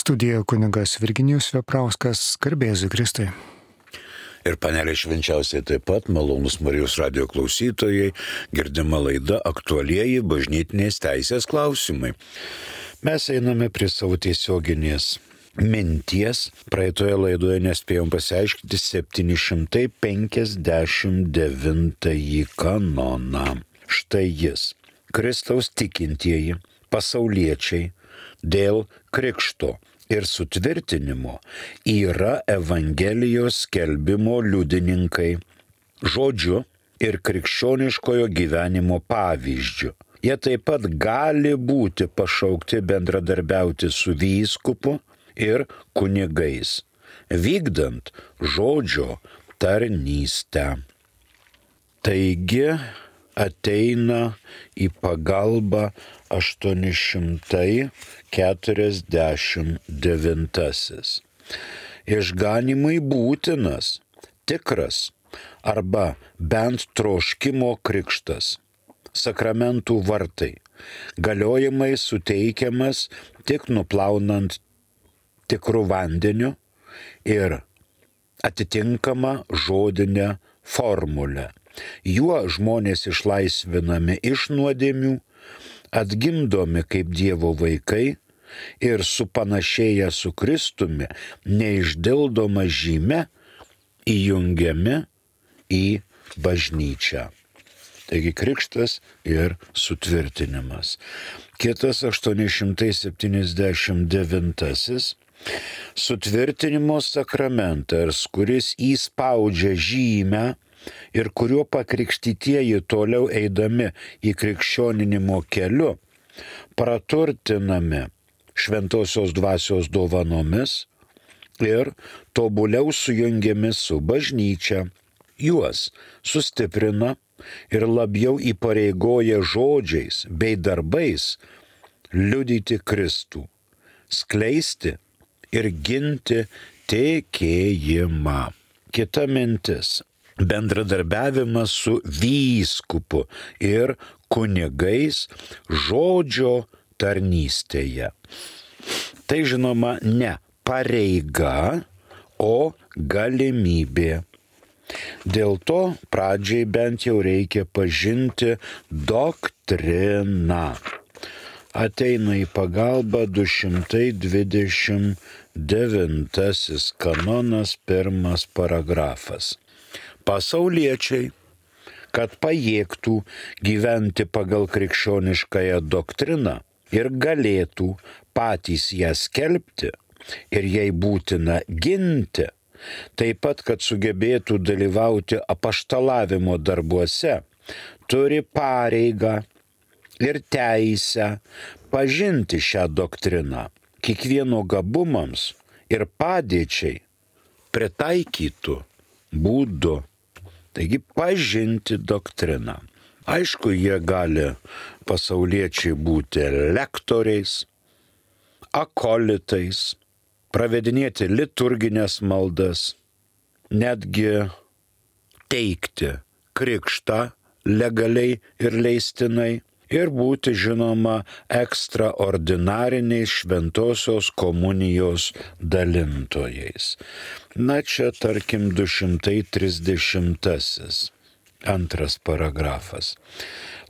Studijoje kunigas Virginijus Veprauskas, garbėzu Kristui. Ir panelė švenčiausiai taip pat, malonus Marijos radijo klausytojai, girdima laida aktualieji bažnytinės teisės klausimai. Mes einame prie savo tiesioginės minties. Praeitoje laidoje nespėjom pasiaiškinti 759 kanoną. Štai jis. Kristaus tikintieji, pasauliečiai, dėl krikšto ir sutvirtinimo yra Evangelijos skelbimo liudininkai, žodžiu ir krikščioniškojo gyvenimo pavyzdžiu. Jie taip pat gali būti pašaukti bendradarbiauti su vyskupu ir kunigais, vykdant žodžio tarnystę. Taigi ateina į pagalbą 849. Išganymui būtinas, tikras arba bent troškimo krikštas, sakramentų vartai, galiojimai suteikiamas tik nuplaunant tikrų vandeniu ir atitinkama žodinė formulė. Juo žmonės išlaisvinami iš nuodėmių, atgimdomi kaip Dievo vaikai ir supanašėję su Kristumi neišdildoma žyme įjungiami į bažnyčią. Taigi krikštas ir sutvirtinimas. Kitas 879. Sutvirtinimo sakramentas, kuris įspaudžia žymę ir kuriuo pakrikštytieji toliau eidami į krikščioninimo keliu, praturtinami šventosios dvasios dovanomis ir tobuliau sujungiami su bažnyčia, juos sustiprina ir labiau įpareigoja žodžiais bei darbais liudyti Kristų, skleisti ir ginti tikėjimą. Kita mintis. Bendradarbiavimas su vyskupu ir kunigais žodžio tarnystėje. Tai žinoma ne pareiga, o galimybė. Dėl to pradžiai bent jau reikia pažinti doktriną. Ateina į pagalbą 229 kanonas, 1 paragrafas. Pasauliečiai, kad pajėgtų gyventi pagal krikščioniškąją doktriną ir galėtų patys ją skelbti ir jai būtina ginti, taip pat, kad sugebėtų dalyvauti apaštalavimo darbuose, turi pareigą ir teisę pažinti šią doktriną kiekvieno gabumams ir padėčiai pritaikytų būdu. Taigi pažinti doktriną. Aišku, jie gali pasauliečiai būti lektoriais, akolitais, pravedinėti liturginės maldas, netgi teikti krikštą legaliai ir leistinai ir būti žinoma ekstraordinariniais šventosios komunijos dalintojais. Na čia tarkim 230. 2 paragrafas.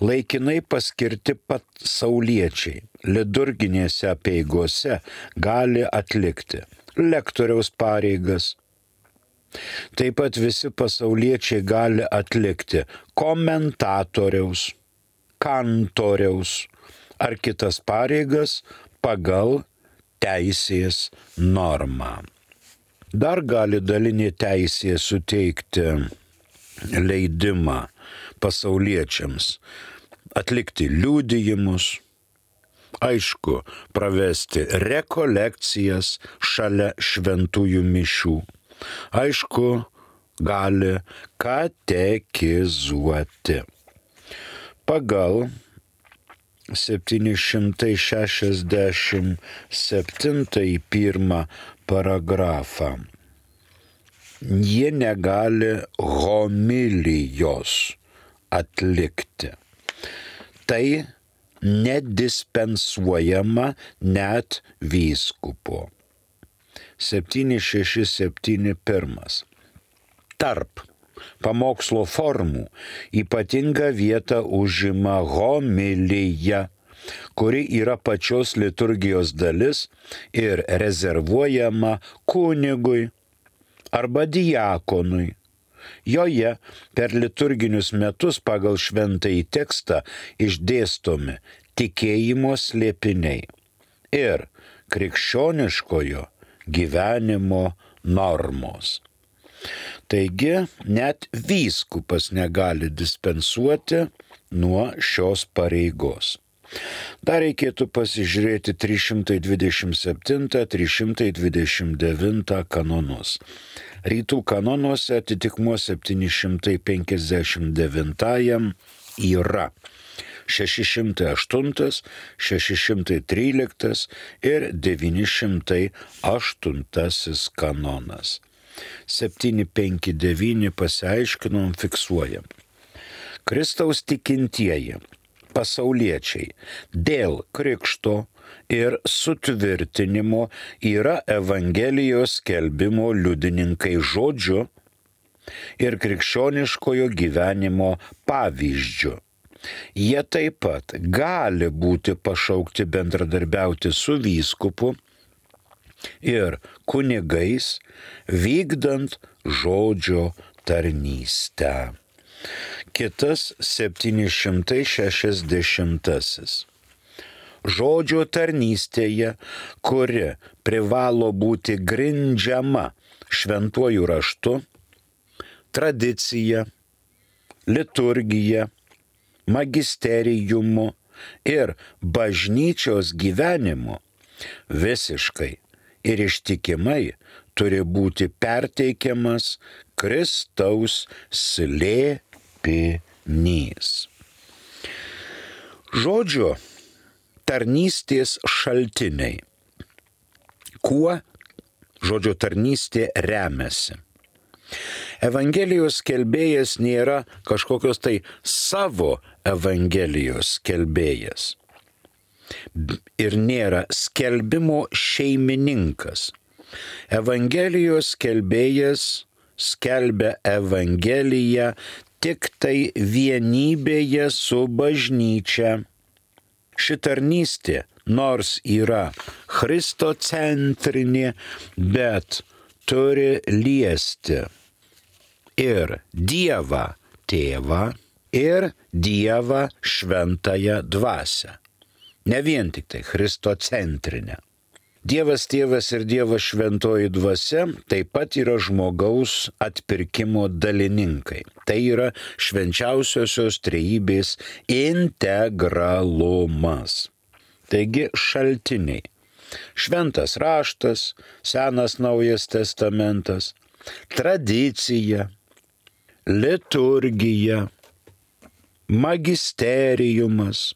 Laikinai paskirti pasauliečiai liturginėse apeigose gali atlikti lektoriaus pareigas. Taip pat visi pasauliečiai gali atlikti komentatoriaus, kantoriaus ar kitas pareigas pagal teisės normą. Dar gali dalinė teisė suteikti leidimą pasauliečiams atlikti liudijimus, aišku, pravesti rekolekcijas šalia šventųjų mišių, aišku, gali katekizuoti. Pagal 767 1 paragrafą jie negali homilijos atlikti. Tai nedispensuojama net vyskupo. 767.1. Tarp pamokslo formų ypatingą vietą užima homilija, kuri yra pačios liturgijos dalis ir rezervuojama kunigui arba diakonui. Joje per liturginius metus pagal šventąjį tekstą išdėstomi tikėjimo slėpiniai ir krikščioniškojo gyvenimo normos. Taigi net vyskupas negali dispensuoti nuo šios pareigos. Dar reikėtų pasižiūrėti 327-329 kanonus. Rytų kanonuose atitikmuo 759 yra 608, 613 ir 908 kanonas. 759 pasiaiškinom, fiksuojam. Kristaus tikintieji, pasauliečiai, dėl krikšto ir sutvirtinimo yra Evangelijos skelbimo liudininkai žodžiu ir krikščioniškojo gyvenimo pavyzdžiu. Jie taip pat gali būti pašaukti bendradarbiauti su vyskupu ir kunigais, vykdant žodžio tarnystę. Kitas 760. Žodžio tarnystėje, kuri privalo būti grindžiama šventuoju raštu, tradicija, liturgija, magisterijumu ir bažnyčios gyvenimu, visiškai ir ištikimai turi būti perteikiamas Kristaus slėpinys. Žodžio tarnystės šaltiniai. Kuo žodžio tarnystė remiasi? Evangelijos skelbėjas nėra kažkokios tai savo Evangelijos skelbėjas. Ir nėra skelbimo šeimininkas. Evangelijos skelbėjas skelbia Evangeliją tik tai vienybėje su bažnyčia. Ši tarnystė, nors yra christocentrinė, bet turi liesti ir Dievą Tėvą, ir Dievą Šventąją Dvasią. Ne vien tik tai christocentrinė. Dievas Tėvas ir Dievas Šventoji Dvasia taip pat yra žmogaus atpirkimo dalininkai. Tai yra švenčiausiosios trejybės integralumas. Taigi šaltiniai. Šventas raštas, Senas Naujas testamentas, tradicija, liturgija, magisterijumas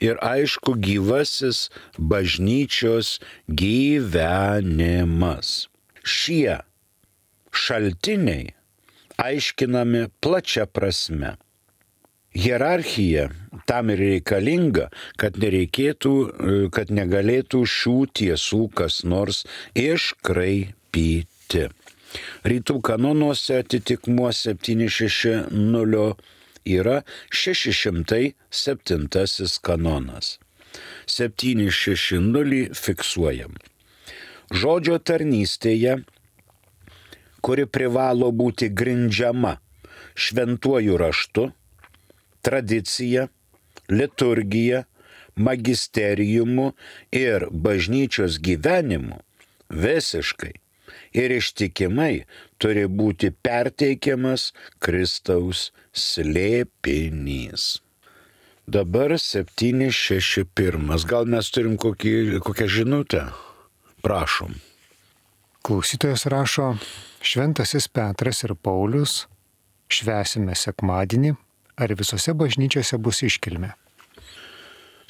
ir aišku gyvasis bažnyčios gyvenimas. Šie šaltiniai aiškinami plačia prasme. Hierarchija tam ir reikalinga, kad negalėtų šių tiesų kas nors iškraipyti. Rytų kanonuose atitikmuo 760 yra 607 kanonas. 760 fiksuojam. Žodžio tarnystėje, kuri privalo būti grindžiama šventuoju raštu, tradicija, liturgija, magisterijumu ir bažnyčios gyvenimu, visiškai ir ištikimai turi būti perteikiamas Kristaus slėpinys. Dabar 761. Gal mes turim kokią žinutę? Prašom. Klausytojas rašo: Šventasis Petras ir Paulius švęsime sekmadienį, ar visose bažnyčiose bus iškilmė?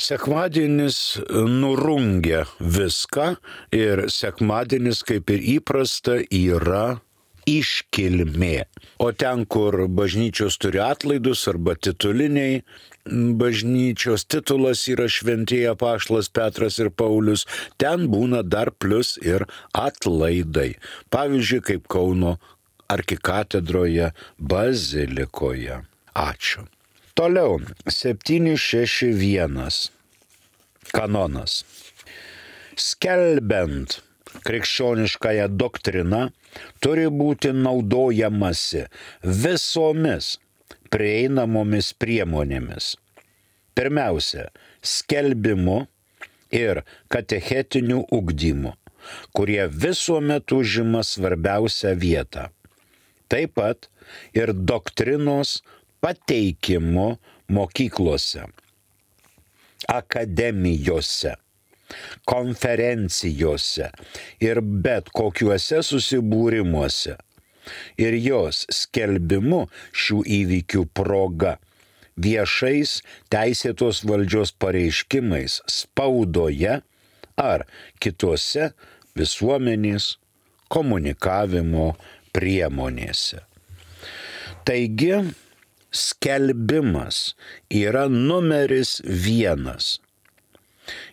Sekmadienis nurungia viską ir sekmadienis, kaip ir įprasta, yra iškilmė. O ten, kur bažnyčios turi atlaidus arba tituliniai, bažnyčios titulas yra šventieji apaštalas Petras ir Paulius, ten būna dar plus ir atlaidai. Pavyzdžiui, kaip Kauno arkikatedroje bazilikoje. Ačiū. Toliau, 761 kanonas. Skelbiant krikščioniškąją doktriną turi būti naudojamasi visomis prieinamomis priemonėmis. Pirmiausia, skelbimu ir katechetiniu ugdymu, kurie visuomet užima svarbiausią vietą. Taip pat ir doktrinos pateikimu mokyklose, akademijose, konferencijose ir bet kokiuose susibūrimuose ir jos skelbimu šių įvykių proga, viešais teisėtos valdžios pareiškimais spaudoje ar kitose visuomenės komunikavimo priemonėse. Taigi, skelbimas yra numeris 1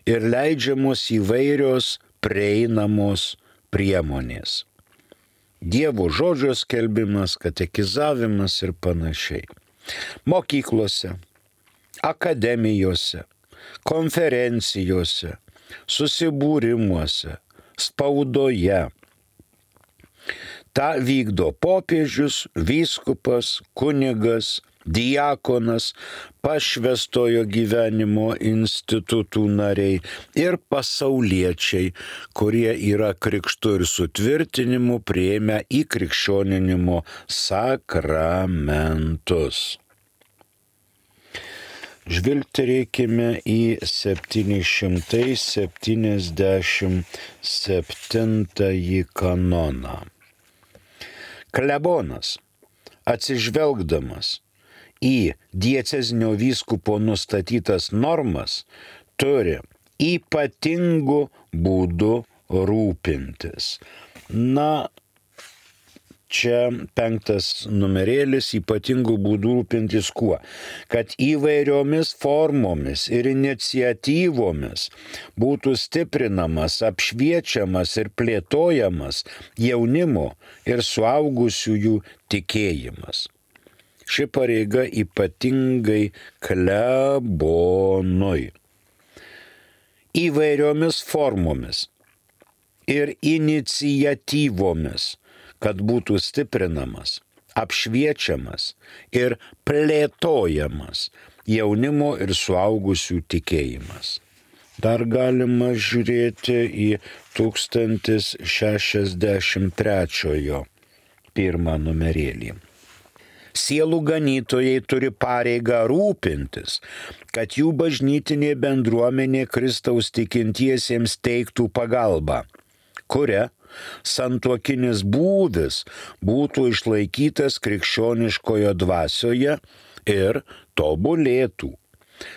ir leidžiamos įvairios prieinamos priemonės. Dievo žodžio skelbimas, katekizavimas ir panašiai. Mokyklose, akademijose, konferencijose, susibūrimuose, spaudoje. Ta vykdo popiežius, vyskupas, kunigas, diakonas, pašvęstojo gyvenimo institutų nariai ir pasauliečiai, kurie yra krikštu ir sutvirtinimu priėmę į krikščioninimo sakramentus. Žvilgterėkime į 777 kanoną. Klebonas, atsižvelgdamas į diecezinio vyskupo nustatytas normas, turi ypatingų būdų rūpintis. Na, čia 5 numerėlis, ypatingų būdų rūpintis kuo? Kad įvairiomis formomis ir iniciatyvomis būtų stiprinamas, apšviečiamas ir plėtojamas jaunimo ir suaugusiųjų tikėjimas. Ši pareiga ypatingai klebonui. Įvairiomis formomis ir iniciatyvomis, kad būtų stiprinamas, apšviečiamas ir plėtojamas jaunimo ir suaugusių tikėjimas. Dar galima žiūrėti į 1063 pirmą numerėlį. Sielų ganytojai turi pareigą rūpintis, kad jų bažnytinė bendruomenė Kristaus tikintiesiems teiktų pagalbą, kuria santuokinis būvis būtų išlaikytas krikščioniškoje dvasioje ir tobulėtų.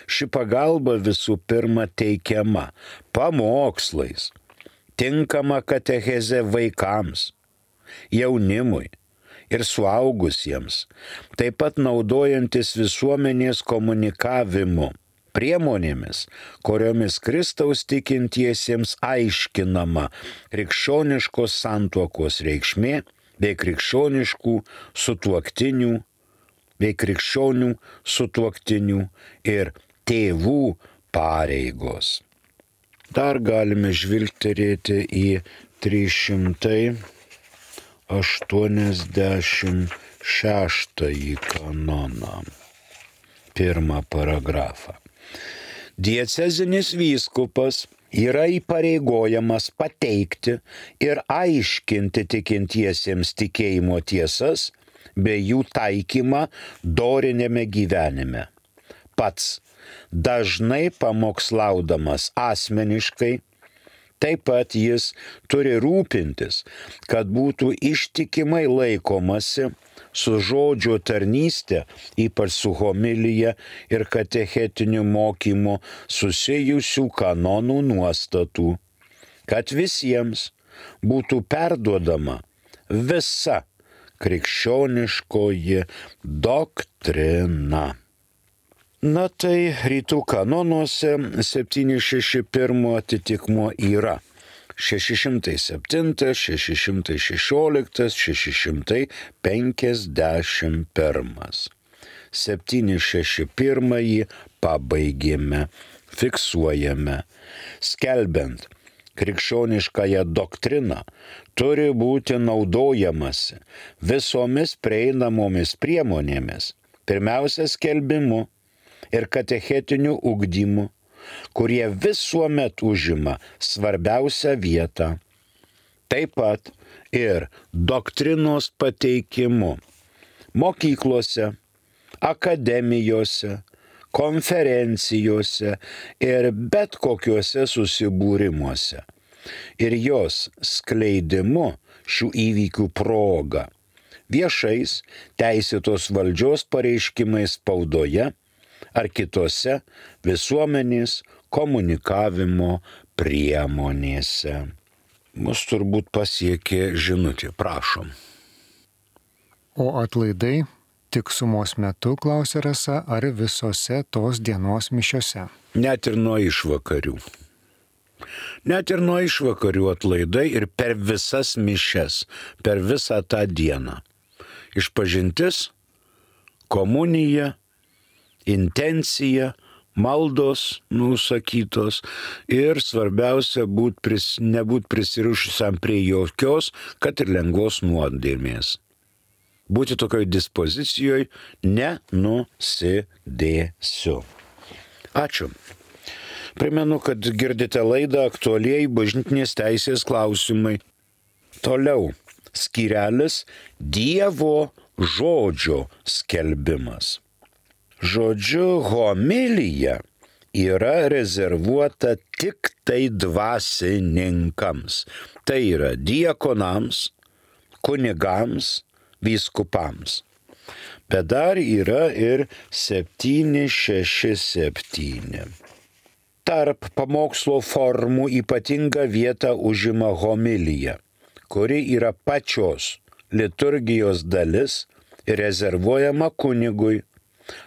Ši pagalba visų pirma teikiama pamokslais, tinkama katecheze vaikams, jaunimui ir suaugusiems, taip pat naudojantis visuomenės komunikavimu priemonėmis, kuriomis Kristaus tikintiesiems aiškinama krikščioniškos santuokos reikšmė bei krikščioniškų sutuoktinių bei krikščionių sutuoktinių ir tėvų pareigos. Dar galime žvilgterėti į 386 kanoną, pirmą paragrafą. Diecezinis vyskupas yra įpareigojamas pateikti ir aiškinti tikintiesiems tikėjimo tiesas bei jų taikymą doriniame gyvenime. Pats dažnai pamokslaudamas asmeniškai, taip pat jis turi rūpintis, kad būtų ištikimai laikomasi su žodžio tarnyste, ypač su homilija ir katechetiniu mokymu susijusių kanonų nuostatų, kad visiems būtų perduodama visa krikščioniškoji doktrina. Na tai rytų kanonuose 761 atitikmuo yra 607, 616, 651. 761 pabaigėme, fiksuojame. Skelbiant krikščioniškąją doktriną turi būti naudojamasi visomis prieinamomis priemonėmis, pirmiausia skelbimu ir katechetiniu ugdymu, kurie visuomet užima svarbiausią vietą. Taip pat ir doktrinos pateikimu mokyklose, akademijose, konferencijose ir bet kokiuose susibūrimuose. Ir jos skleidimu šių įvykių proga, viešais teisėtos valdžios pareiškimais spaudoje ar kitose visuomenės komunikavimo priemonėse. Mus turbūt pasiekė žinutė, prašom. O atlaidai tik sumos metu, klausė Rasa, ar visose tos dienos mišiose? Net ir nuo išvakarių. Net ir nuo išvakarių atlaidai ir per visas mišes, per visą tą dieną. Išpažintis, komunija, intencija, maldos nusakytos ir svarbiausia nebūt prisirišusiam prie jokios, kad ir lengvos nuodėmės. Būti tokioj dispozicijoje nenusidėsiu. Ačiū. Primenu, kad girdite laidą Aktualieji bažnytinės teisės klausimai. Toliau skyrelis Dievo žodžio skelbimas. Žodžiu, homilija yra rezervuota tik tai dvasininkams. Tai yra diakonams, kunigams, vyskupams. Bet dar yra ir 767. Tarp pamokslo formų ypatingą vietą užima homilija, kuri yra pačios liturgijos dalis ir rezervuojama kunigui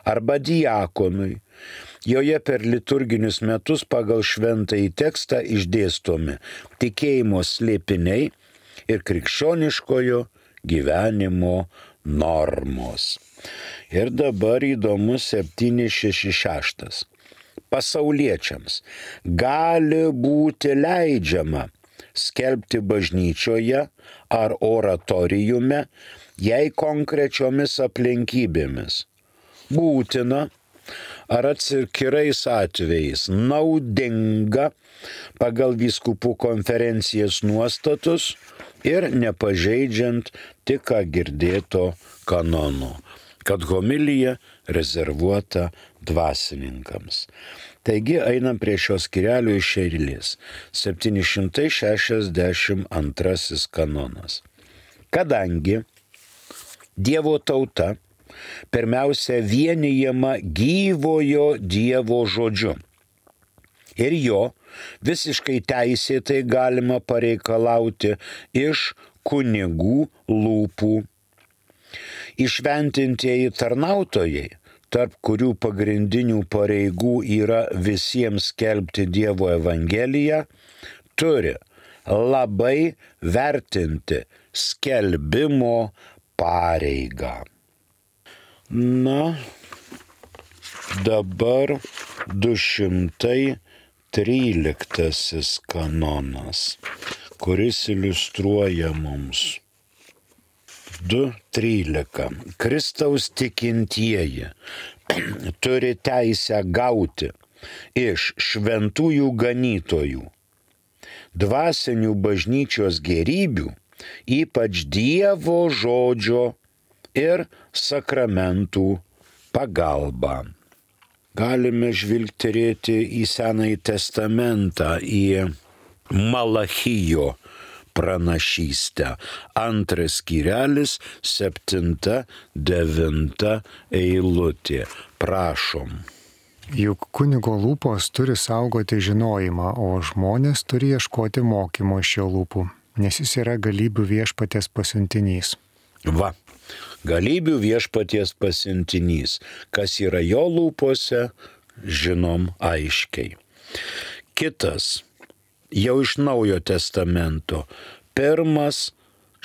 arba diakonui. Joje per liturginius metus pagal šventąjį tekstą išdėstomi tikėjimo slėpiniai ir krikščioniškojo gyvenimo normos. Ir dabar įdomus 766. Pasauliečiams gali būti leidžiama skelbti bažnyčioje ar oratoriume, jei konkrečiomis aplinkybėmis būtina ar atskirais atvejais naudinga pagal vyskupų konferencijas nuostatus ir nepažeidžiant tik ką girdėto kanonų, kad homilija rezervuota dvasininkams. Taigi einam prie šios skyrelio iš eilės. 762 kanonas. Kadangi Dievo tauta pirmiausia vienijama gyvojo Dievo žodžiu ir jo visiškai teisėtai galima pareikalauti iš kunigų lūpų. Įšventintieji tarnautojai, tarp kurių pagrindinių pareigų yra visiems skelbti Dievo evangeliją, turi labai vertinti skelbimo pareigą. Na, dabar 213 kanonas, kuris iliustruoja mums 2.13. Kristaus tikintieji turi teisę gauti iš šventųjų ganytojų dvasinių bažnyčios gėrybių, ypač Dievo žodžio ir sakramentų pagalba. Galime žvilgterėti į Senąjį testamentą, į Malachijo pranašystę. 2 skyrelis, 7-9 eilutė. Prašom. Juk kunigo lūpos turi saugoti žinojimą, o žmonės turi ieškoti mokymo iš jo lūpų, nes jis yra galybių viešpaties pasiuntinys. Va, Galybių viešpaties pasiuntinys. Kas yra jo lūpose, žinom aiškiai. Kitas, jau iš Naujojo testamento, pirmas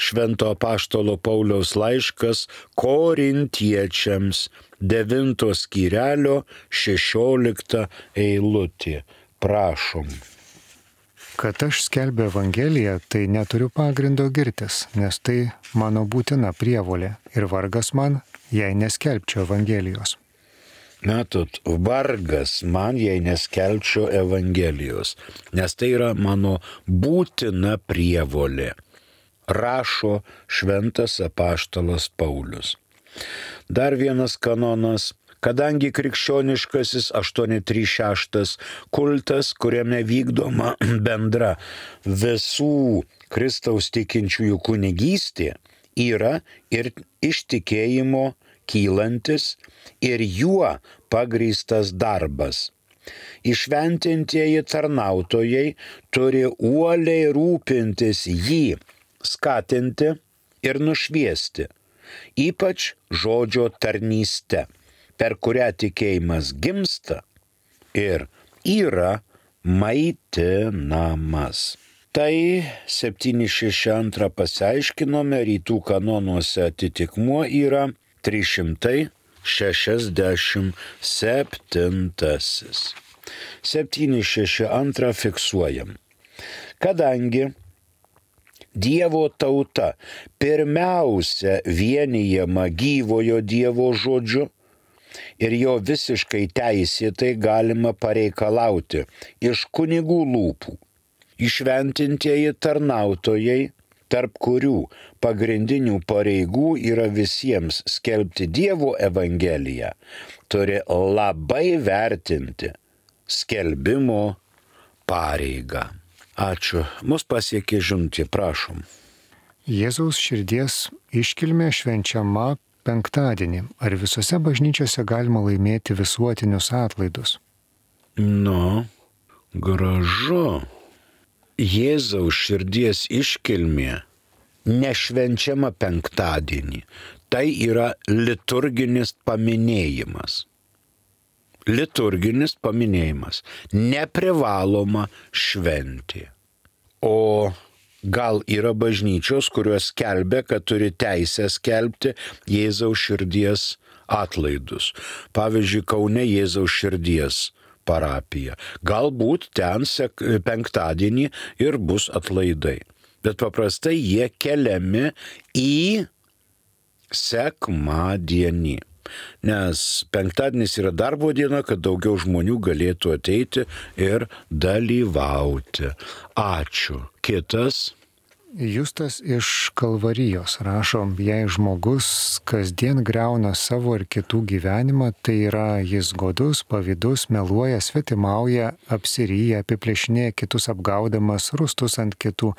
Švento apaštalo Pauliaus laiškas Korintiečiams, 9 skyrelio 16 eilutė. Prašom. Kad aš skelbiu Evangeliją, tai neturiu pagrindo girtis, nes tai mano būtina prievolė ir vargas man, jei neskelbčiau Evangelijos. Matot, vargas man, jei neskelbčiau Evangelijos, nes tai yra mano būtina prievolė, rašo Šventas apaštalas Paulius. Dar vienas kanonas. Kadangi krikščioniškasis 836 kultas, kuriame vykdoma bendra visų Kristaus tikinčiųjų kunigystė, yra ir iš tikėjimo kylantis ir juo pagrįstas darbas. Įšventintieji tarnautojai turi uoliai rūpintis jį, skatinti ir nušviesti, ypač žodžio tarnyste, per kurią tikėjimas gimsta ir yra maitinamas. Tai 762 pasiaiškinome, rytų kanonuose atitikmuo yra 367. 762 fiksuojam. Kadangi Dievo tauta pirmiausia vienijama gyvojo Dievo žodžiu ir jo visiškai teisėtai galima pareikalauti iš kunigų lūpų. Įšventintieji tarnautojai, tarp kurių pagrindinių pareigų yra visiems skelbti Dievo Evangeliją, turi labai vertinti skelbimo pareigą. Ačiū. Mus pasiekė žinutė, prašom. Jėzaus širdies iškilmė švenčiama penktadienį. Ar visose bažnyčiose galima laimėti visuotinius atlaidus? Gražu. Jėzaus širdies iškilmė nešvenčiama penktadienį. Tai yra liturginis paminėjimas. Liturginis paminėjimas. Neprivaloma šventė. O gal yra bažnyčios, kurios skelbia, kad turi teisę skelbti Jėzaus širdies atlaidus. Pavyzdžiui, Kaune Jėzaus širdies parapija. Galbūt ten penktadienį ir bus atlaidai. Bet paprastai jie keliami į sekmadienį. Nes penktadienis yra darbo diena, kad daugiau žmonių galėtų ateiti ir dalyvauti. Ačiū. Kitas. Justas iš Kalvarijos rašo, jei žmogus kasdien griauna savo ir kitų gyvenimą, tai yra jis godus, pavydus, meluoja, svetimauja, apsiryja, apiplėšinėja kitus apgaudamas, rūstus ant kitų,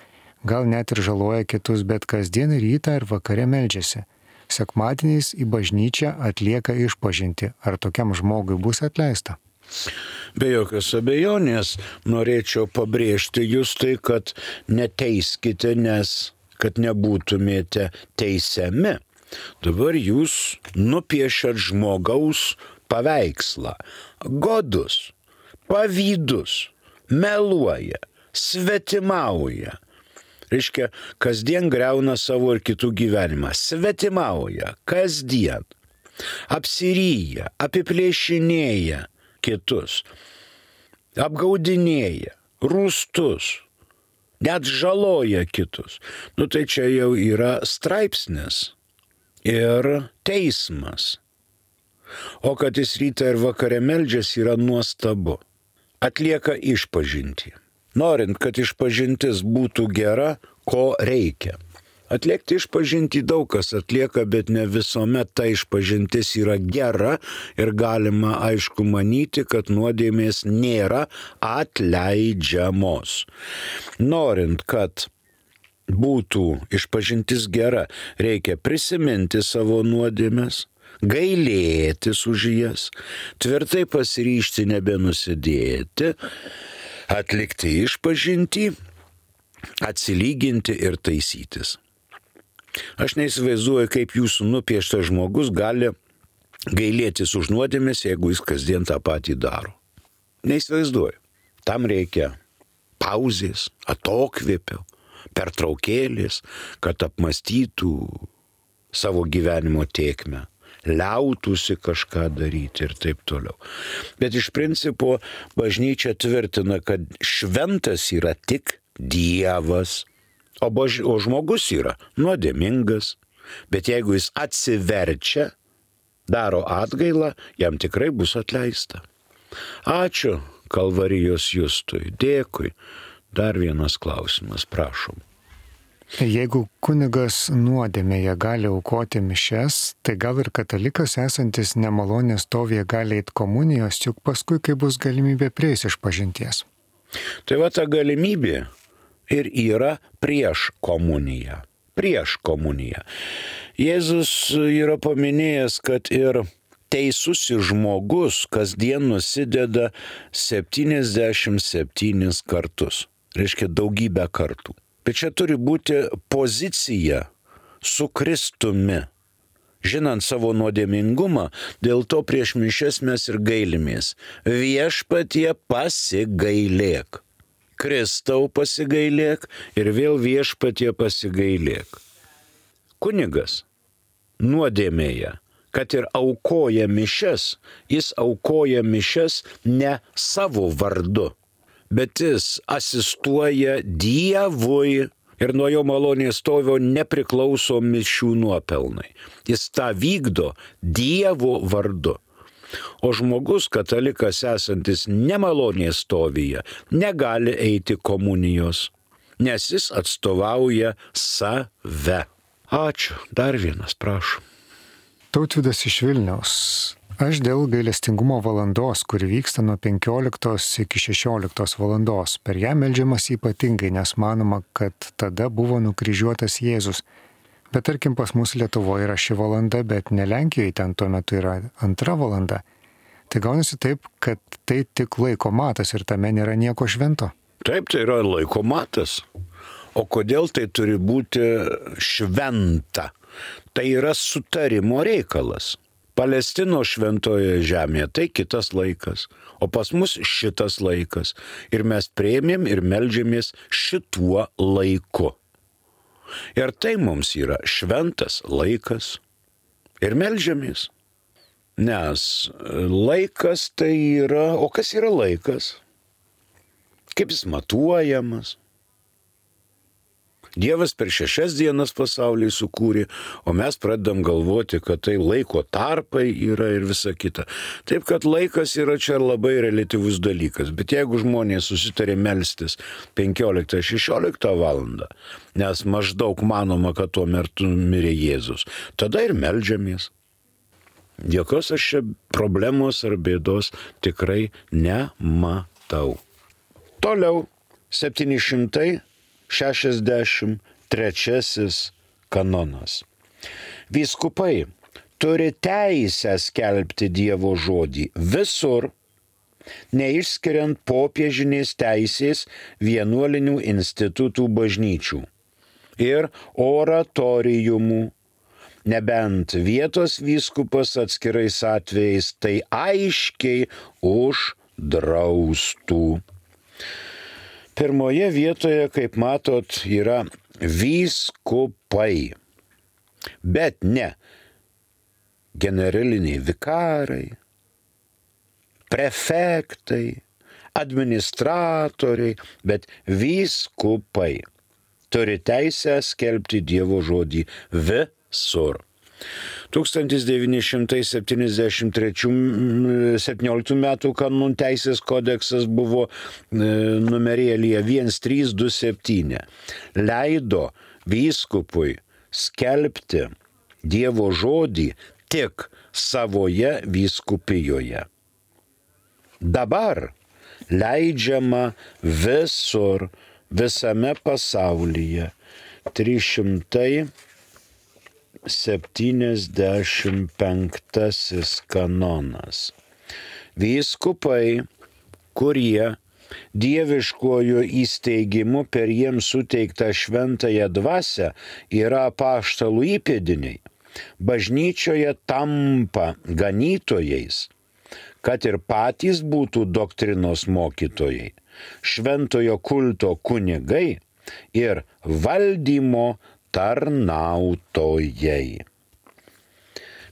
gal net ir žaloja kitus, bet kasdien rytą ir vakare meldžiasi. Sekmadieniais į bažnyčią atlieka išpažintį. Ar tokiam žmogui bus atleista? Be jokios abejonės norėčiau pabrėžti jūs tai, kad neteiskite, nes kad nebūtumėte teisiami. Dabar jūs nupiešėt žmogaus paveikslą. Godus, pavydus, meluoja, svetimauja. Reiškia, kasdien griauna savo ir kitų gyvenimą. Svetimauja, kasdien. Apsiryja, apiplėšinėja kitus. Apgaudinėja, rūstus. Net žaloja kitus. Tai čia jau yra straipsnis ir teismas. O kad jis rytą ir vakare meldžiasi yra nuostabu. Atlieka išpažintį. Norint, kad išpažintis būtų gera, ko reikia? Atliekti išpažintį daug kas atlieka, bet ne visuomet ta išpažintis yra gera ir galima aišku manyti, kad nuodėmės nėra atleidžiamos. Norint, kad būtų išpažintis gera, reikia prisiminti savo nuodėmes, gailėtis už jas, tvirtai pasiryžti nebenusidėti, atlikti išpažintį, atsilyginti ir taisytis. Aš neįsivaizduoju, kaip jūsų nupieštas žmogus gali gailėtis už nuodėmės, jeigu jis kasdien tą patį daro. Neįsivaizduoju. Tam reikia pauzės, atokvėpio, pertraukėlės, kad apmąstytų savo gyvenimo tėkmę, liautųsi kažką daryti ir taip toliau. Bet iš principo bažnyčia tvirtina, kad šventas yra tik Dievas, o žmogus yra nuodėmingas. Bet jeigu jis atsiverčia, daro atgailą, jam tikrai bus atleista. Ačiū Kalvarijos Justui, dėkui. Dar vienas klausimas, prašom. Jeigu kunigas nuodėmėje gali aukoti mišes, tai gal ir katalikas esantis nemalonės stovyje gali eiti komunijos, juk paskui, kai bus galimybė prieis išpažinties. Tai va ta galimybė ir yra prieš komuniją. Prieš komuniją. Jėzus yra paminėjęs, kad ir teisusis žmogus kasdien nusideda 77 kartus. Reiškia daugybę kartų. Bet čia turi būti pozicija su Kristumi. Žinant savo nuodėmingumą, dėl to prieš mišias mes ir gailimės. Viešpatie pasigailėk. Kristau pasigailėk ir vėl viešpatie pasigailėk. Kunigas nuodėmėje, kad ir aukoja mišias, jis aukoja mišias ne savo vardu, bet jis asistuoja Dievui ir nuo jo malonės stovio nepriklauso mišių nuopelnai. Jis tą vykdo Dievo vardu. O žmogus, katalikas esantis nemalonės stovyje, negali eiti komunijos, nes jis atstovauja save. Ačiū. Dar vienas, prašom. Tautvydas iš Vilniaus. Aš dėl gailestingumo valandos, kuri vyksta nuo 15 iki 16 valandos, per ją meldžiamas ypatingai, nes manoma, kad tada buvo nukryžiuotas Jėzus. Bet tarkim pas mus Lietuvoje yra ši valanda, bet ne Lenkijoje, ten tuo metu yra 2 valanda. Tai gaunasi taip, kad tai tik laiko matas ir tame nėra nieko švento. Taip, tai yra laiko matas. O kodėl tai turi būti šventa? Tai yra sutarimo reikalas. Palestinos šventoje žemėje tai kitas laikas, o pas mus šitas laikas. Ir mes priėmėm ir meldžiamės šituo laiku. Ir tai mums yra šventas laikas. Ir meldžiamės. Nes laikas tai yra, o kas yra laikas? Kaip jis matuojamas? Dievas per 6 dienas pasaulį sukūrė, o mes pradedam galvoti, kad tai laiko tarpai yra ir visa kita. Taip, kad laikas yra čia labai reliatyvus dalykas, bet jeigu žmonės susitarė melstis 15-16 valandą, nes maždaug manoma, kad tuo metu mirė Jėzus, tada ir meldžiamės. Jokios aš čia problemos ar bėdos tikrai nematau. Toliau 763 kanonas. Vyskupai turi teisę skelbti Dievo žodį visur, neišskiriant popiežinės teisės vienuolinių institutų bažnyčių ir oratorijumų, nebent vietos vyskupas atskirais atvejais tai aiškiai uždraustų. Pirmoje vietoje, kaip matot, yra vyskupai, bet ne generaliniai vikarai, prefektai, administratoriai, bet vyskupai turi teisę skelbti Dievo žodį visur. 1917 metų kanonų teisės kodeksas buvo numerėlyje 1327. Leido vyskupui skelbti Dievo žodį tik savoje vyskupijoje. Dabar leidžiama visur, visame pasaulyje 375 kanonas. Vyskupai, kurie dieviškuoju įsteigimu per jiems suteiktą šventąją dvasią yra apaštalų įpėdiniai, bažnyčioje tampa ganytojais, kad ir patys būtų doktrinos mokytojai, šventojo kulto kunigai ir valdymo tarnautojai.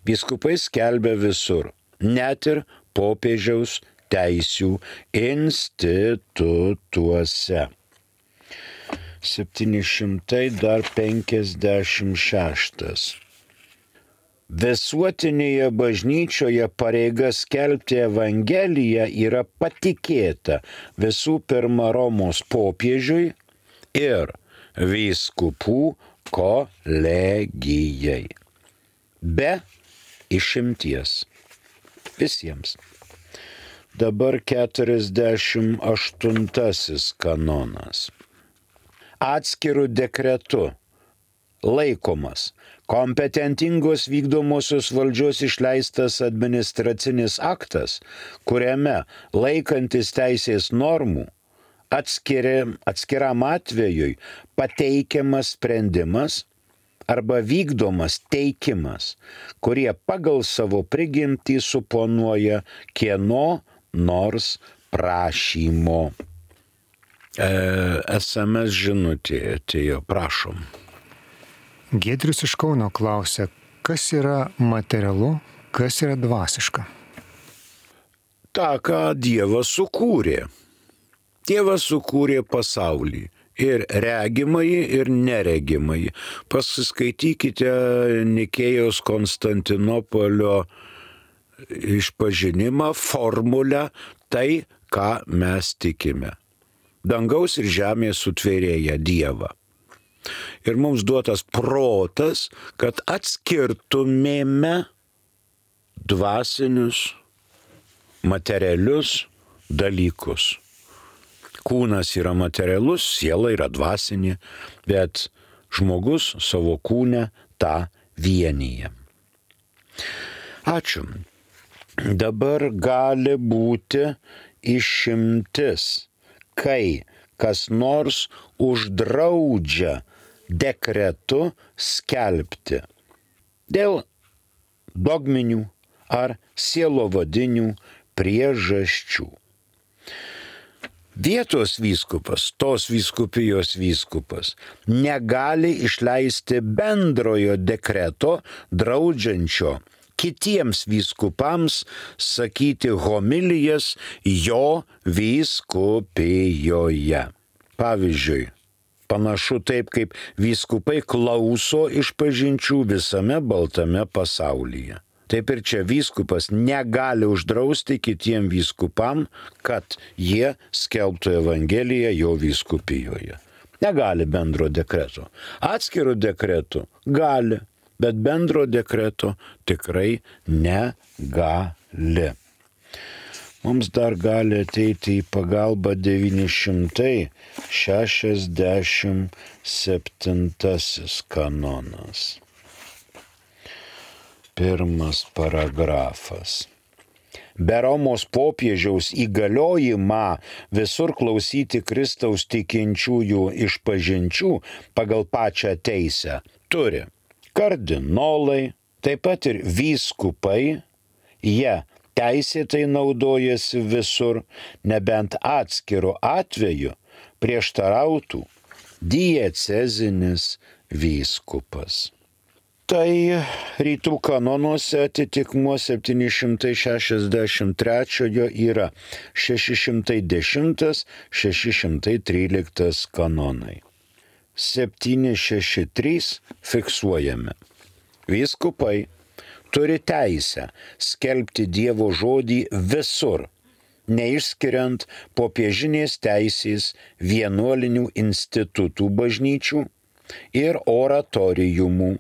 Vyskupai skelbia visur, net ir popiežiaus teisių institutuose. 756. Visuotinėje bažnyčioje pareiga skelbti Evangeliją yra patikėta visų pirma Romos popiežiui ir vyskupų kolegijai. Be išimties. Visiems. Dabar 48 kanonas. Atskirų dekretų laikomas kompetentingos vykdomosios valdžios išleistas administracinis aktas, kuriame laikantis teisės normų atskiram atvejui pateikiamas sprendimas arba vykdomas teikimas, kurie pagal savo prigimtį suponuoja kieno nors prašymo. SMS žinutė atėjo, prašom. Giedrius iš Kauno klausia, kas yra materialu, kas yra dvasiška? Ta, ką Dievas sukūrė. Dievas sukūrė pasaulį. Ir regimąjį, ir neregimąjį. Pasiskaitykite Nikėjos Konstantinopolio išpažinimą, formulę, tai, ką mes tikime. Dangaus ir žemės sutvėrėja Dievą. Ir mums duotas protas, kad atskirtumėme dvasinius, materialius dalykus. Kūnas yra materialus, siela yra dvasinė, bet žmogus savo kūne tą vienyje. Ačiū. Dabar gali būti išimtis, kai kas nors uždraudžia dekretu skelbti dėl dogminių ar sielovadinių priežasčių. Vietos vyskupas, tos vyskupijos vyskupas, negali išleisti bendrojo dekreto draudžiančio kitiems vyskupams sakyti homilijas jo vyskupijoje. Pavyzdžiui, panašu taip, kaip vyskupai klauso išpažinčių visame baltame pasaulyje. Taip ir čia vyskupas negali uždrausti kitiem vyskupam, kad jie skelbtų Evangeliją jo vyskupijoje. Negali bendro dekreto. Atskirų dekretų gali, bet bendro dekreto tikrai negali. Mums dar gali ateiti į pagalbą 967 kanonas. Pirmas paragrafas. Be Romos popiežiaus įgaliojimą visur klausyti Kristaus tikinčiųjų išpažinčių pagal pačią teisę turi kardinolai, taip pat ir vyskupai, jie teisėtai naudojasi visur, nebent atskiru atveju prieštarautų diecezinis vyskupas. Tai rytų kanonuose atitikmuo 763 yra 610-613 kanonai. 763 fiksuojame. Vyskupai turi teisę skelbti Dievo žodį visur, neišskiriant popiežinės teisės vienuolinių institutų bažnyčių ir oratorijumų,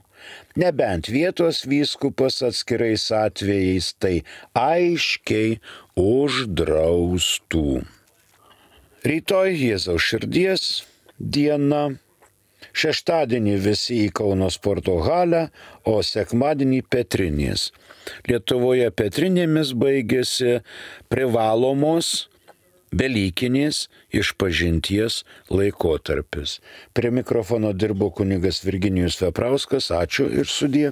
nebent vietos vyskupas atskirais atvejais tai aiškiai uždraustų. Rytoj Jėzaus širdies diena, šeštadienį visi į Kauno sporto halę, o sekmadienį Petrinės. Lietuvoje Petrinėmis baigėsi privalomos Velykinės išpažinties laikotarpis. Prie mikrofono dirbo kunigas Virginijus Veprauskas. Ačiū ir sudie.